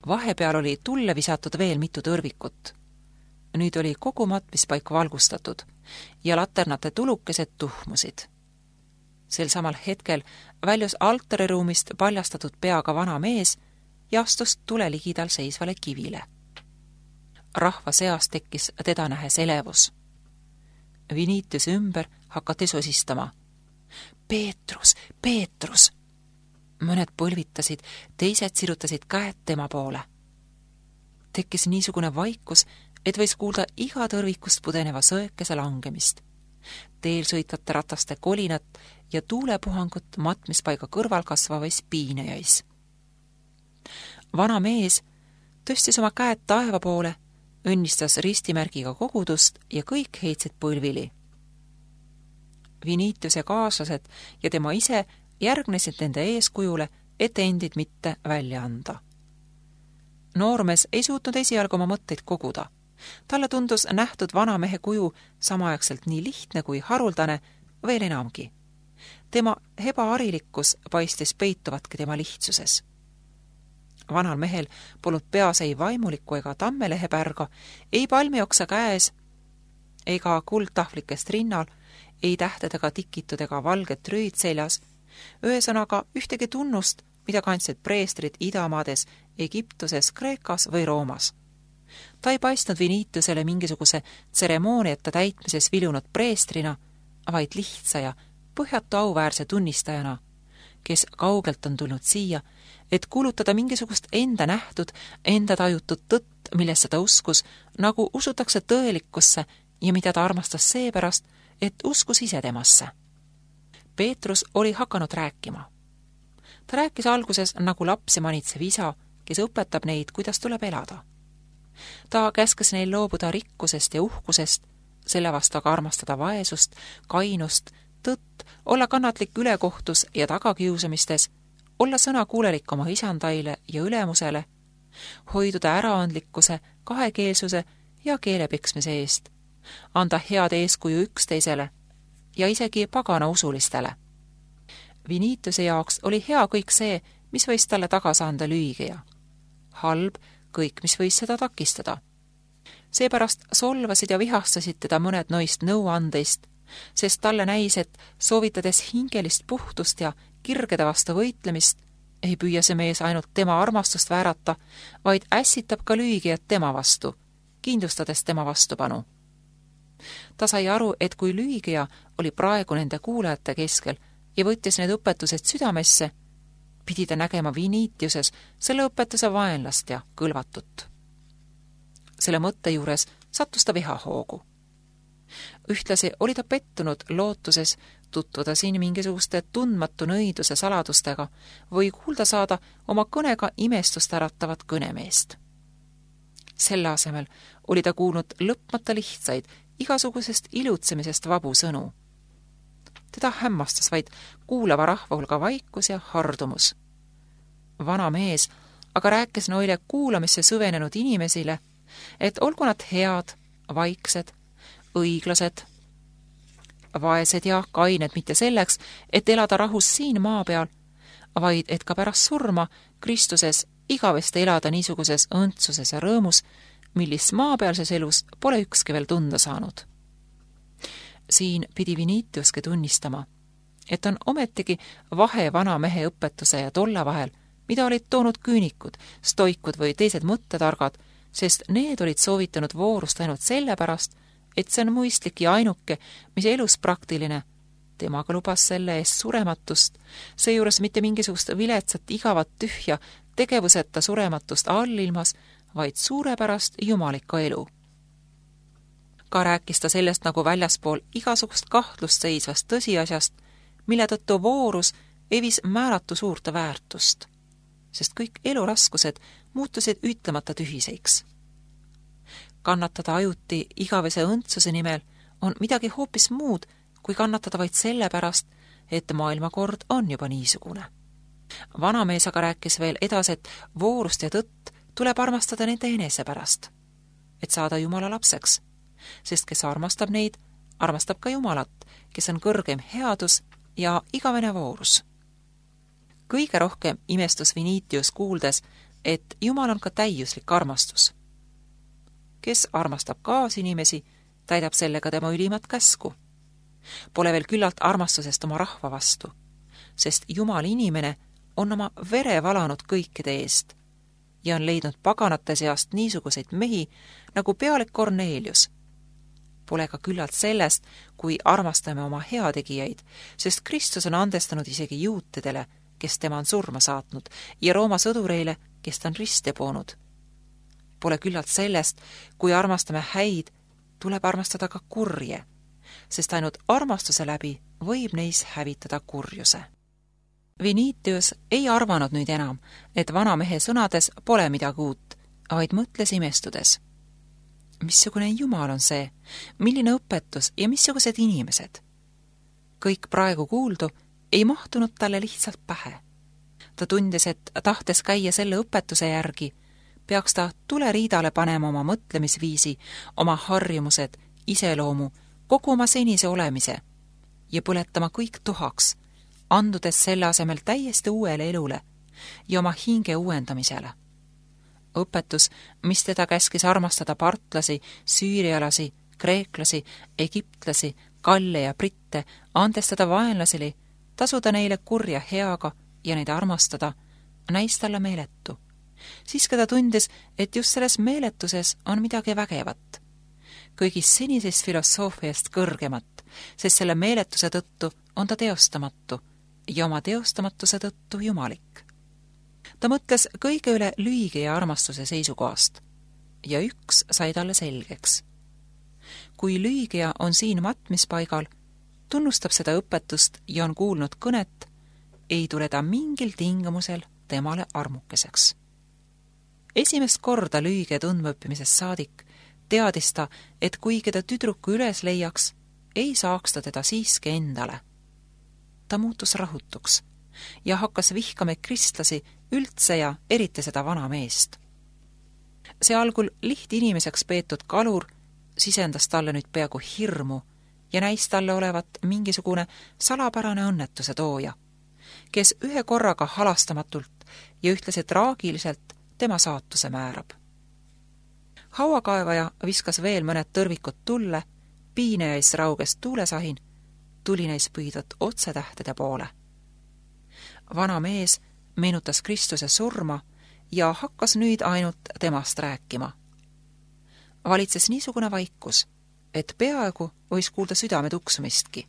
Vahepeal oli tulle visatud veel mitu tõrvikut. Nüüd oli kogu matmispaik valgustatud ja laternate tulukesed tuhmusid. Sel samal hetkel väljus altariruumist paljastatud peaga vana mees ja astus tule ligidal seisvale kivile. Rahva seas tekkis teda nähes elevus. Vinitiuse ümber hakati sosistama. Peetrus, Peetrus! Mõned põlvitasid, teised sirutasid käed tema poole. Tekkis niisugune vaikus, et võis kuulda iga tõrvikust pudeneva sõekese langemist, teel sõitvate rataste kolinat ja tuulepuhangut matmispaiga kõrval kasvavais piinejais. Vana mees tõstis oma käed taeva poole, õnnistas ristimärgiga kogudust ja kõik heitsid põlvili. Vinitiuse kaaslased ja tema ise järgnesid nende eeskujule, et endid mitte välja anda. Noormees ei suutnud esialgu oma mõtteid koguda. Talle tundus nähtud vana mehe kuju samaaegselt nii lihtne kui haruldane, veel enamgi. Tema ebaharilikkus paistis peituvatki tema lihtsuses. Vanal mehel polnud peas ei vaimulikku ega tammelehepärga, ei palmioksa käes, ega kuldtahvlikest rinnal, ei tähtedega tikitud ega valget rüüd seljas, ühesõnaga ühtegi tunnust, mida kandsid preestrid Idamaades, Egiptuses, Kreekas või Roomas. Ta ei paistnud Vinitiusele mingisuguse tseremooniata täitmises vilunud preestrina, vaid lihtsa ja põhjatu auväärse tunnistajana, kes kaugelt on tulnud siia, et kuulutada mingisugust enda nähtud, enda tajutud tõtt, millesse ta uskus, nagu usutakse tõelikkusse ja mida ta armastas seepärast, et uskus ise temasse. Peetrus oli hakanud rääkima. Ta rääkis alguses nagu lapsi manitsev isa, kes õpetab neid, kuidas tuleb elada. Ta käskes neil loobuda rikkusest ja uhkusest, selle vastu aga armastada vaesust, kainust, tõtt, olla kannatlik ülekohtus ja tagakiusamistes, olla sõnakuulelik oma isandaile ja ülemusele, hoiduda äraandlikkuse, kahekeelsuse ja keelepiksmise eest, anda head eeskuju üksteisele ja isegi pagana usulistele. Vinitiuse jaoks oli hea kõik see, mis võis talle tagasi anda lüügija. Halb kõik, mis võis seda takistada. Seepärast solvasid ja vihastasid teda mõned noist nõuandeist, sest talle näis, et soovitades hingelist puhtust ja kirgede vastu võitlemist, ei püüa see mees ainult tema armastust väärata, vaid ässitab ka lüügijat tema vastu, kindlustades tema vastupanu. Ta sai aru, et kui lüügija oli praegu nende kuulajate keskel ja võttis need õpetused südamesse, pidi ta nägema Vinitiuses selle õpetuse vaenlast ja kõlvatut. Selle mõtte juures sattus ta vihahoogu. Ühtlasi oli ta pettunud lootuses tutvuda siin mingisuguste tundmatu nõiduse saladustega või kuulda saada oma kõnega imestust äratavat kõnemeest. Selle asemel oli ta kuulnud lõpmata lihtsaid, igasugusest ilutsemisest vabu sõnu. Teda hämmastas vaid kuulava rahva hulga vaikus ja hardumus. Vana mees aga rääkis noile kuulamisse süvenenud inimesile, et olgu nad head, vaiksed, õiglased, vaesed ja kained mitte selleks, et elada rahus siin maa peal, vaid et ka pärast surma Kristuses igavesti elada niisuguses õndsuses ja rõõmus, millist maapealses elus pole ükski veel tunda saanud. Siin pidi Vinitiuski tunnistama, et on ometigi vahe vana mehe õpetuse ja tolle vahel, mida olid toonud küünikud, stoikud või teised mõttetargad, sest need olid soovitanud voorust ainult sellepärast, et see on mõistlik ja ainuke, mis elus praktiline. Temaga lubas selle eest surematust, seejuures mitte mingisugust viletsat, igavat, tühja, tegevuseta surematust allilmas, vaid suurepärast jumalikku elu. Ka rääkis ta sellest nagu väljaspool igasugust kahtlust seisvast tõsiasjast, mille tõttu voorus evis määratu suurte väärtust, sest kõik eluraskused muutusid ütlemata tühiseiks. Kannatada ajuti igavese õndsuse nimel on midagi hoopis muud, kui kannatada vaid sellepärast, et maailmakord on juba niisugune. Vanamees aga rääkis veel edasi, et voorust ja tõtt tuleb armastada nende enese pärast, et saada Jumala lapseks, sest kes armastab neid, armastab ka Jumalat, kes on kõrgem headus ja igavene voorus. Kõige rohkem imestus Vinitius kuuldes et Jumal on ka täiuslik armastus. Kes armastab kaasinimesi, täidab sellega tema ülimat käsku. Pole veel küllalt armastusest oma rahva vastu, sest Jumal inimene on oma vere valanud kõikide eest ja on leidnud paganate seast niisuguseid mehi nagu pealik Kornelius. Pole ka küllalt sellest, kui armastame oma heategijaid, sest Kristus on andestanud isegi juutidele, kes tema on surma saatnud, ja Rooma sõdureile, kes ta on risti poonud. Pole küllalt sellest, kui armastame häid, tuleb armastada ka kurje, sest ainult armastuse läbi võib neis hävitada kurjuse. Vinitius ei arvanud nüüd enam, et vana mehe sõnades pole midagi uut, vaid mõtles imestudes. Missugune Jumal on see, milline õpetus ja missugused inimesed? Kõik praegu kuuldu ei mahtunud talle lihtsalt pähe. Ta tundis, et tahtes käia selle õpetuse järgi, peaks ta tuleriidale panema oma mõtlemisviisi, oma harjumused, iseloomu, kogu oma senise olemise ja põletama kõik tuhaks, andudes selle asemel täiesti uuele elule ja oma hinge uuendamisele. Õpetus, mis teda käskis armastada partlasi, süürialasi, kreeklasi, egiptlasi, kalle ja britte, andestada vaenlaseli, tasuda neile kurja heaga ja neid armastada, näis talle meeletu. Siiski ta tundis, et just selles meeletuses on midagi vägevat. Kõigist senisest filosoofiast kõrgemat, sest selle meeletuse tõttu on ta teostamatu ja oma teostamatuse tõttu jumalik. Ta mõtles kõige üle lühige ja armastuse seisukohast ja üks sai talle selgeks. Kui lühigea on siin matmispaigal, tunnustab seda õpetust ja on kuulnud kõnet, ei tule ta mingil tingimusel temale armukeseks. Esimest korda lühige tundmaõppimisest saadik teadis ta, et kuigi ta tüdruku üles leiaks, ei saaks ta teda siiski endale. Ta muutus rahutuks ja hakkas vihkama kristlasi üldse ja eriti seda vana meest. See algul lihtinimeseks peetud kalur sisendas talle nüüd peaaegu hirmu ja näis talle olevat mingisugune salapärane õnnetuse tooja, kes ühe korraga halastamatult ja ühtlasi traagiliselt tema saatuse määrab. Hauakaevaja viskas veel mõned tõrvikud tulle, piinejais rauges tuulesahin, tuli neis püüdvat otsetähtede poole. Vana mees meenutas Kristuse surma ja hakkas nüüd ainult temast rääkima. Valitses niisugune vaikus, et peaaegu võis kuulda südame tuksumistki.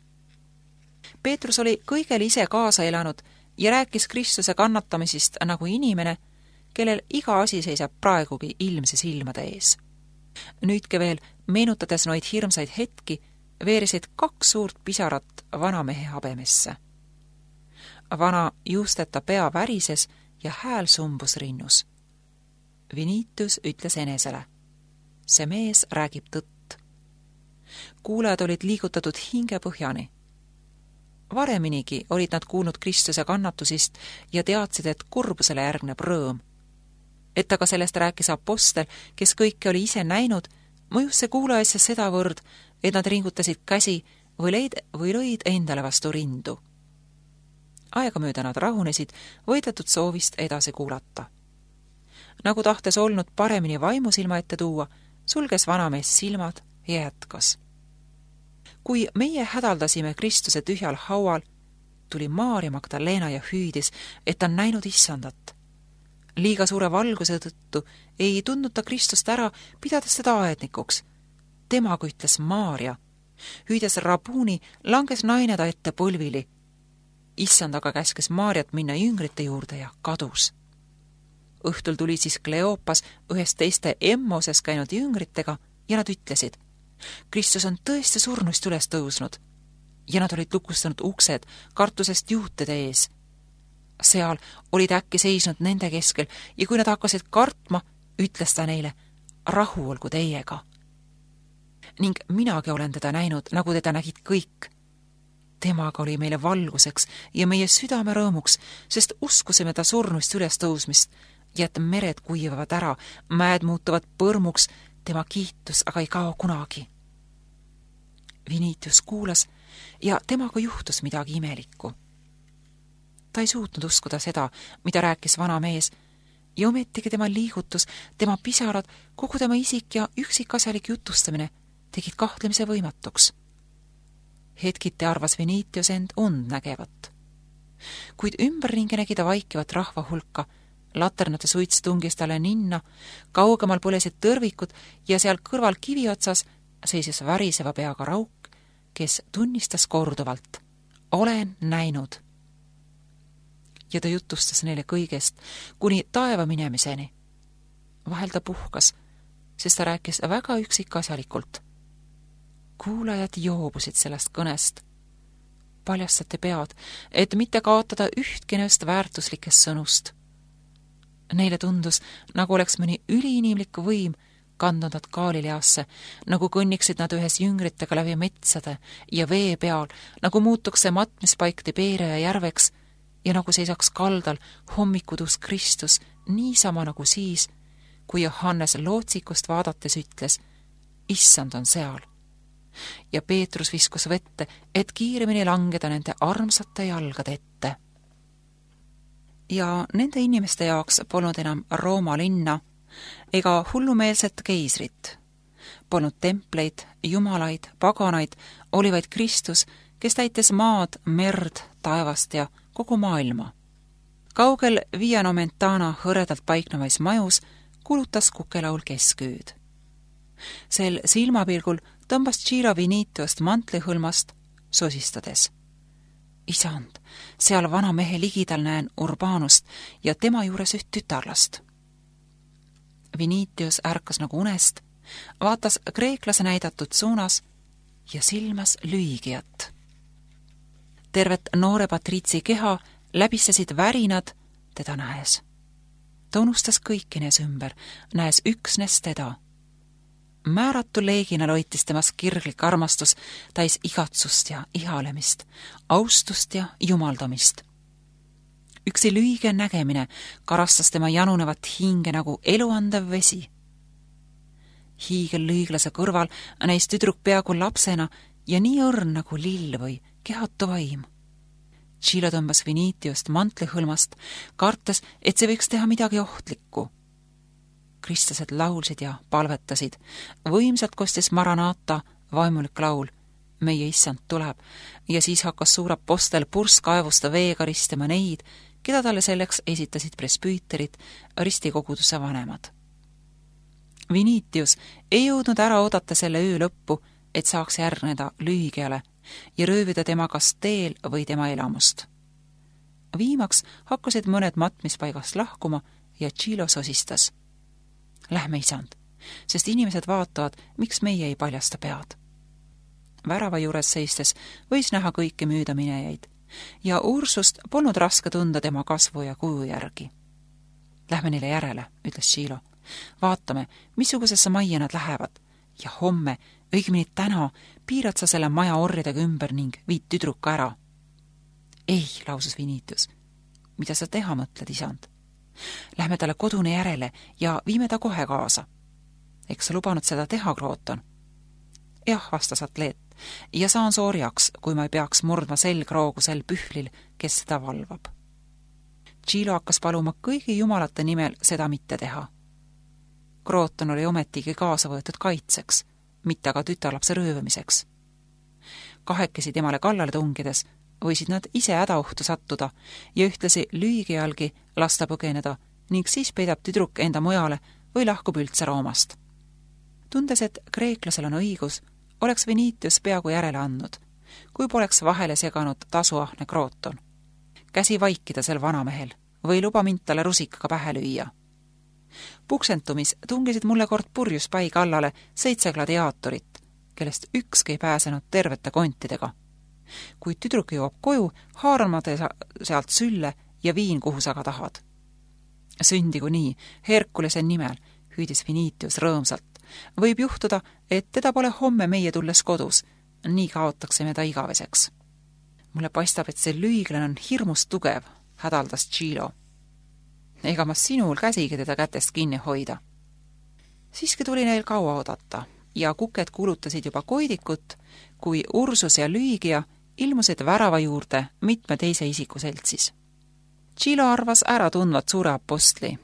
Peetrus oli kõigele ise kaasa elanud ja rääkis Kristuse kannatamisest nagu inimene, kellel iga asi seisab praegugi ilmse silmade ees. Nüüdki veel, meenutades noid hirmsaid hetki, veerisid 2 suurt pisarat vanamehe habemesse. Vana juusteta pea värises ja hääl sumbus rinnus. Vinitius ütles enesele: see mees räägib tõtt. Kuulajad olid liigutatud hingepõhjani. Vareminigi olid nad kuulnud Kristuse kannatusist ja teadsid, et kurbusele järgneb rõõm. Et aga sellest rääkis apostel, kes kõike oli ise näinud, mõjus see kuulajasse sedavõrd, et nad ringutasid käsi või lõid endale vastu rindu. Aegamööda nad rahunesid võidetud soovist edasi kuulata. Nagu tahtes olnud paremini vaimusilma ette tuua, sulges vanamees silmad ja jätkas. Kui meie hädaldasime Kristuse tühjal haual, tuli Maarja Magdalena ja hüüdis, et on näinud issandat. Liiga suure valguse tõttu ei tundnud ta Kristust ära, pidades teda aednikuks. Temaga ütles Maarja. Hüüdes Rabuni, langes naine ta ette põlvili. Issand aga käskes Maarjat minna jüngrite juurde ja kadus. Õhtul tuli siis Kleopas ühest teiste Emmoses käinud jüngritega ja nad ütlesid: Kristus on tõesti surnuist üles tõusnud. Ja nad olid lukustanud uksed kartusest juutide ees. Seal olid äkki seisnud nende keskel ja kui nad hakkasid kartma, ütles ta neile: rahu olgu teiega. Ning minagi olen teda näinud, nagu teda nägid kõik. Temaga oli meile valguseks ja meie südame rõõmuks, sest uskusime ta surnuist üles tõusmist ja et mered kuivavad ära, mäed muutuvad põrmuks, tema kiitus aga ei kao kunagi. Vinitius kuulas ja temaga juhtus midagi imelikku. Ta ei suutnud uskuda seda, mida rääkis vana mees, ja ometigi tema liigutus, tema pisarad, kogu tema isik ja üksikasjalik jutustamine tegid kahtlemise võimatuks. Hetkiti arvas Venitius end und nägevat. Kuid ümberringi nägi ta vaikivat rahva hulka, laternate suits tungis talle ninna, kaugemal põlesid tõrvikud ja seal kõrval kivi otsas seisis väriseva peaga rauk, kes tunnistas korduvalt: olen näinud. Ja ta jutustas neile kõigest, kuni taeva minemiseni. Vahel ta puhkas, sest ta rääkis väga üksikasjalikult. Kuulajad joobusid sellest kõnest. Paljastati pead, et mitte kaotada ühtki neist väärtuslikest sõnust. Neile tundus, nagu oleks mõni üliinimlik võim kandnud nad Galileasse, nagu kõnniksid nad ühes jüngritega läbi metsade ja vee peal, nagu muutuks see matmispaik Tiberia järveks ja nagu seisaks kaldal hommikutus Kristus niisama nagu siis, kui Johannes lootsikust vaadates ütles: issand on seal. Ja Peetrus viskus vette, et kiiremini langeda nende armsate jalgade ette. Ja nende inimeste jaoks polnud enam Rooma linna ega hullumeelset keisrit. Polnud templeid, jumalaid, paganaid, oli vaid Kristus, kes täites maad, merd, taevast ja kogu maailma. Kaugel Via Nomentana hõredalt paiknevais majus kulutas kukelaul keskööd. Sel silmapilgul tõmbas Ciro Venitiost mantlihõlmast sosistades. Isand, seal vana mehe ligidal näen Urbanust ja tema juures üht tütarlast. Venitius ärkas nagu unest, vaatas kreeklase näidatud suunas ja silmas lüügijat. Tervet noore patriitsi keha läbistasid värinad teda näes. Ta unustas kõiki nees ümber, näes üksnes teda. Määratu leegina loitis temas kirglik armastus, täis igatsust ja ihalemist, austust ja jumaldamist. Üksi lüüge nägemine karastas tema janunevat hinge nagu eluandev vesi. Hiigellüüglase kõrval näis tüdruk peaaegu lapsena ja nii õrn nagu lill või kehatu vaim. Ciro tõmbas Venitiost mantlihõlmast, kartes, et see võiks teha midagi ohtlikku. Kristlased laulsid ja palvetasid. Võimsalt kostis Maranata vaimulik laul: meie issand tuleb, ja siis hakkas suur apostel purskkaevusta veega ristema neid, keda talle selleks esitasid presbüüterid, ristikoguduse vanemad. Venitius ei jõudnud ära oodata selle öö lõppu, et saaks järgneda lüügiale ja röövida tema kas teel või tema elamust. Viimaks hakkasid mõned matmispaigast lahkuma ja Ciro sosistas: lähme, isand, sest inimesed vaatavad, miks meie ei paljasta pead. Värava juures seistes võis näha kõiki müüdaminejaid ja Ursust polnud raske tunda tema kasvu ja kuju järgi. Lähme neile järele, ütles Ciro. Vaatame, missugusesse majja nad lähevad ja homme, õigemini täna, piirad sa selle maja orjadega ümber ning viid tüdruka ära. Ei, lausus Venitius. Mida sa teha mõtled, isand? Lähme talle kodune järele ja viime ta kohe kaasa. Eks sa lubanud seda teha, Krooton? Jah, vastas atleet, ja saan soorjaks, kui ma ei peaks murdma selgroogu sel pühvlil, kes seda valvab. Ciro hakkas paluma kõigi jumalate nimel seda mitte teha. Krooton oli ometigi kaasa võetud kaitseks, mitte aga tütarlapse röövamiseks. Kahekesi temale kallale tungides võisid nad ise hädaohtu sattuda ja ühtlasi lüügijalgi lasta põgeneda ning siis peidab tüdruk enda mujale või lahkub üldse Roomast. Tundes, et kreeklasel on õigus, oleks Venitius peaaegu järele andnud, kui poleks vahele seganud tasuahne Krooton. Käsi vaikida sel vanamehel või luba mind talle rusikaga pähe lüüa. Puksentumis tungisid mulle kord purjus pai kallale 7 gladiaatorit, kellest ükski ei pääsenud tervete kontidega. Kui tüdruk jõuab koju, haaran ma sealt sülle ja viin, kuhu sa ka tahad. Sündigu nii, Herkulese nimel, hüüdis Venitius rõõmsalt. Võib juhtuda, et teda pole homme meie tulles kodus, nii kaotaksime ta igaveseks. Mulle paistab, et see lüüglane on hirmus tugev, hädaldas Ciro. Ega ma sinul käsigi teda kätest kinni hoida. Siiski tuli neil kaua oodata ja kuked kuulutasid juba koidikut, kui Ursus ja lüügija ilmusid värava juurde mitme teise isiku seltsis. Ciro arvas ära tundvat suure apostli.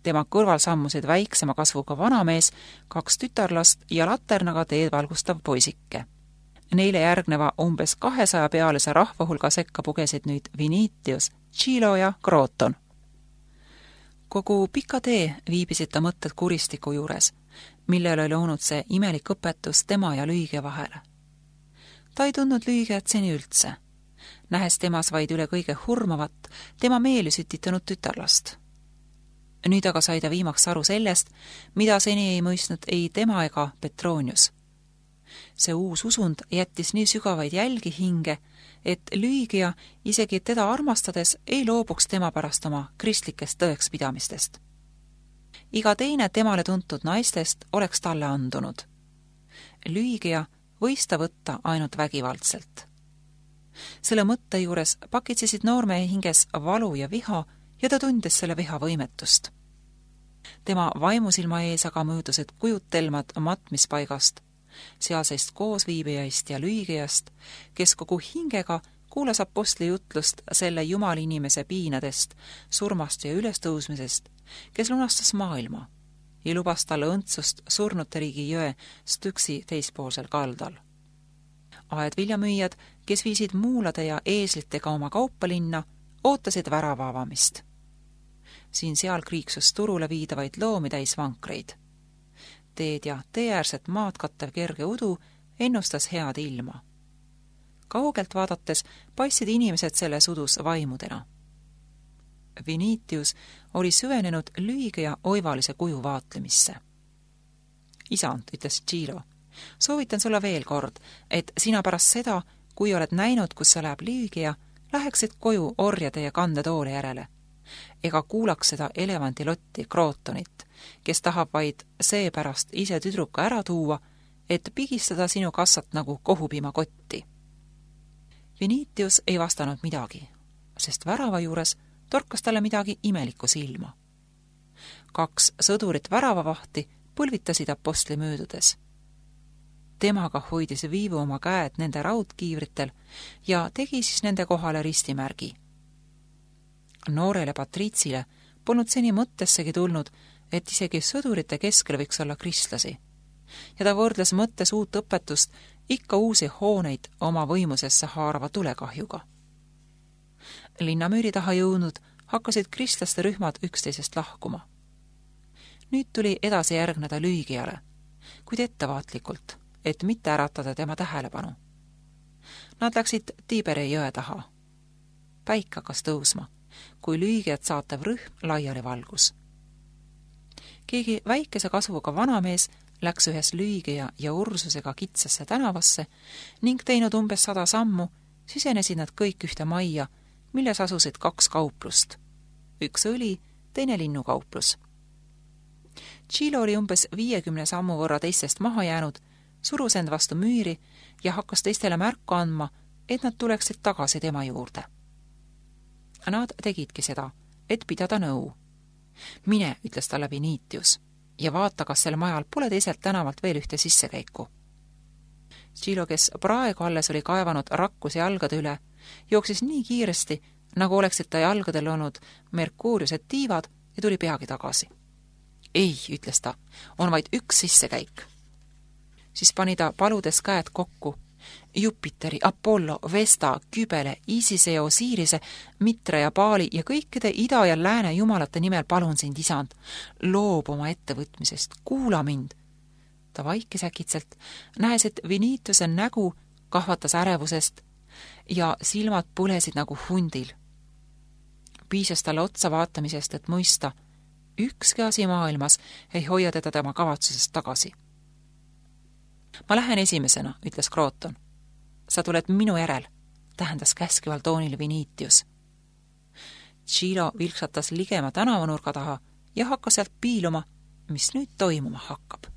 Tema kõrval sammusid väiksema kasvuga vanamees, 2 tütarlast ja laternaga teed valgustav poisike. Neile järgneva umbes 200 pealise rahva hulga sekka pugesid nüüd Vinitius, Chilo ja Kroton. Kogu pika tee viibisid ta mõtted kuristiku juures, millele oli olnud see imelik õpetus tema ja Lüügia vahele. Ta ei tundnud Lüügiat seni üldse, nähes temas vaid üle kõige hurmavat, tema meeli sütitanud tütarlast. Nüüd aga sai ta viimaks aru sellest, mida seni ei mõistnud ei tema ega Petronius. See uus usund jättis nii sügavaid jälgi hinge, et Lüügia, isegi teda armastades, ei loobuks tema pärast oma kristlikest tõekspidamistest. Iga teine temale tuntud naistest oleks talle andunud. Lüügia võis ta võtta ainult vägivaldselt. Selle mõtte juures pakitsesid noormehe hinges valu ja viha ja ta tundis selle viha võimetust. Tema vaimusilma ees aga möödusid kujutelmad matmispaigast, sealseist koosviibijaist ja Lüügiast, kes kogu hingega kuulas apostli jutlust selle jumalinimese piinadest, surmast ja ülestõusmisest, kes lunastas maailma ja lubas talle õndsust surnute riigi jõe Styxi teispoolsel kaldal. Aedviljamüüjad, kes viisid muulade ja eeslitega oma kaupalinna, ootasid värava avamist. Siin-seal kriiksus turule viidavaid loomi täis vankreid. Teed ja teeäärset maad kattev kerge udu ennustas head ilma. Kaugelt vaadates paistsid inimesed selles udus vaimudena. Vinitius oli süvenenud Lüügia oivalise kuju vaatlemisse. Isand, ütles Chilo, soovitan sulle veel kord, et sina pärast seda, kui oled näinud, kus sa läheb Lüügia, läheksid koju orjade ja kandetoole järele, ega kuulaks seda elevandilotti Krotonit, kes tahab vaid seepärast ise tüdruka ära tuua, et pigistada sinu kassat nagu kohupiimakotti. Vinitius ei vastanud midagi, sest värava juures torkas talle midagi imelikku silma. 2 sõdurit väravavahti põlvitasid apostli möödudes. Temaga hoidis Viivu oma käed nende raudkiivritel ja tegi siis nende kohale ristimärgi. Noorele patriitsile polnud seni mõttessegi tulnud, et isegi sõdurite keskel võiks olla kristlasi, ja ta võrdles mõttes uut õpetust ikka uusi hooneid oma võimusesse haarava tulekahjuga. Linnamüüri taha jõudnud hakkasid kristlaste rühmad üksteisest lahkuma. Nüüd tuli edasi järgneda Lüügiale, kuid ettevaatlikult, et mitte äratada tema tähelepanu. Nad läksid Tiiberi jõe taha. Päik hakkas tõusma, kui Lüügiat saatev rühm laiali valgus. Keegi väikese kasvuga vanamees läks ühes Lüügia ja Ursusega kitsasse tänavasse ning teinud umbes 100 sammu, sisenesid nad kõik ühte majja, milles asusid 2 kauplust. 1 õli, teine linnukauplus. Chilo oli umbes 50 sammu võrra teistest maha jäänud, surus end vastu müüri ja hakkas teistele märku andma, et nad tuleksid tagasi tema juurde. Nad tegidki seda, et pidada nõu. Mine, ütles talle Vinitius, ja vaata, kas sel majal pole teiselt tänavalt veel ühte sissekäiku. Chilo, kes praegu alles oli kaevanud rakkusi jalgade üle, jooksis nii kiiresti, nagu oleksid ta jalgadel olnud Merkuuriused tiivad ja tuli peagi tagasi. Ei, ütles ta, on vaid 1 sissekäik. Siis pani ta paludes käed kokku. Jupiteri, Apollo, Vesta, Kybele, Isise ja Osirise, Mitra ja Paali ja kõikide ida- ja lääne jumalate nimel palun sind, isand, loob oma ettevõtmisest, kuula mind. Ta vaikis äkitselt, näes, et Vinitiuse nägu kahvatas ärevusest ja silmad põlesid nagu hundil. Piisas talle otsa vaatamisest, et mõista, ükski asi maailmas ei hoia teda tema kavatsusest tagasi. Ma lähen esimesena, ütles Kroton. Sa tuled minu järel, tähendas käskival toonil Vinitius. Chilo vilksatas ligema tänavanurga taha ja hakkas sealt piiluma, mis nüüd toimuma hakkab.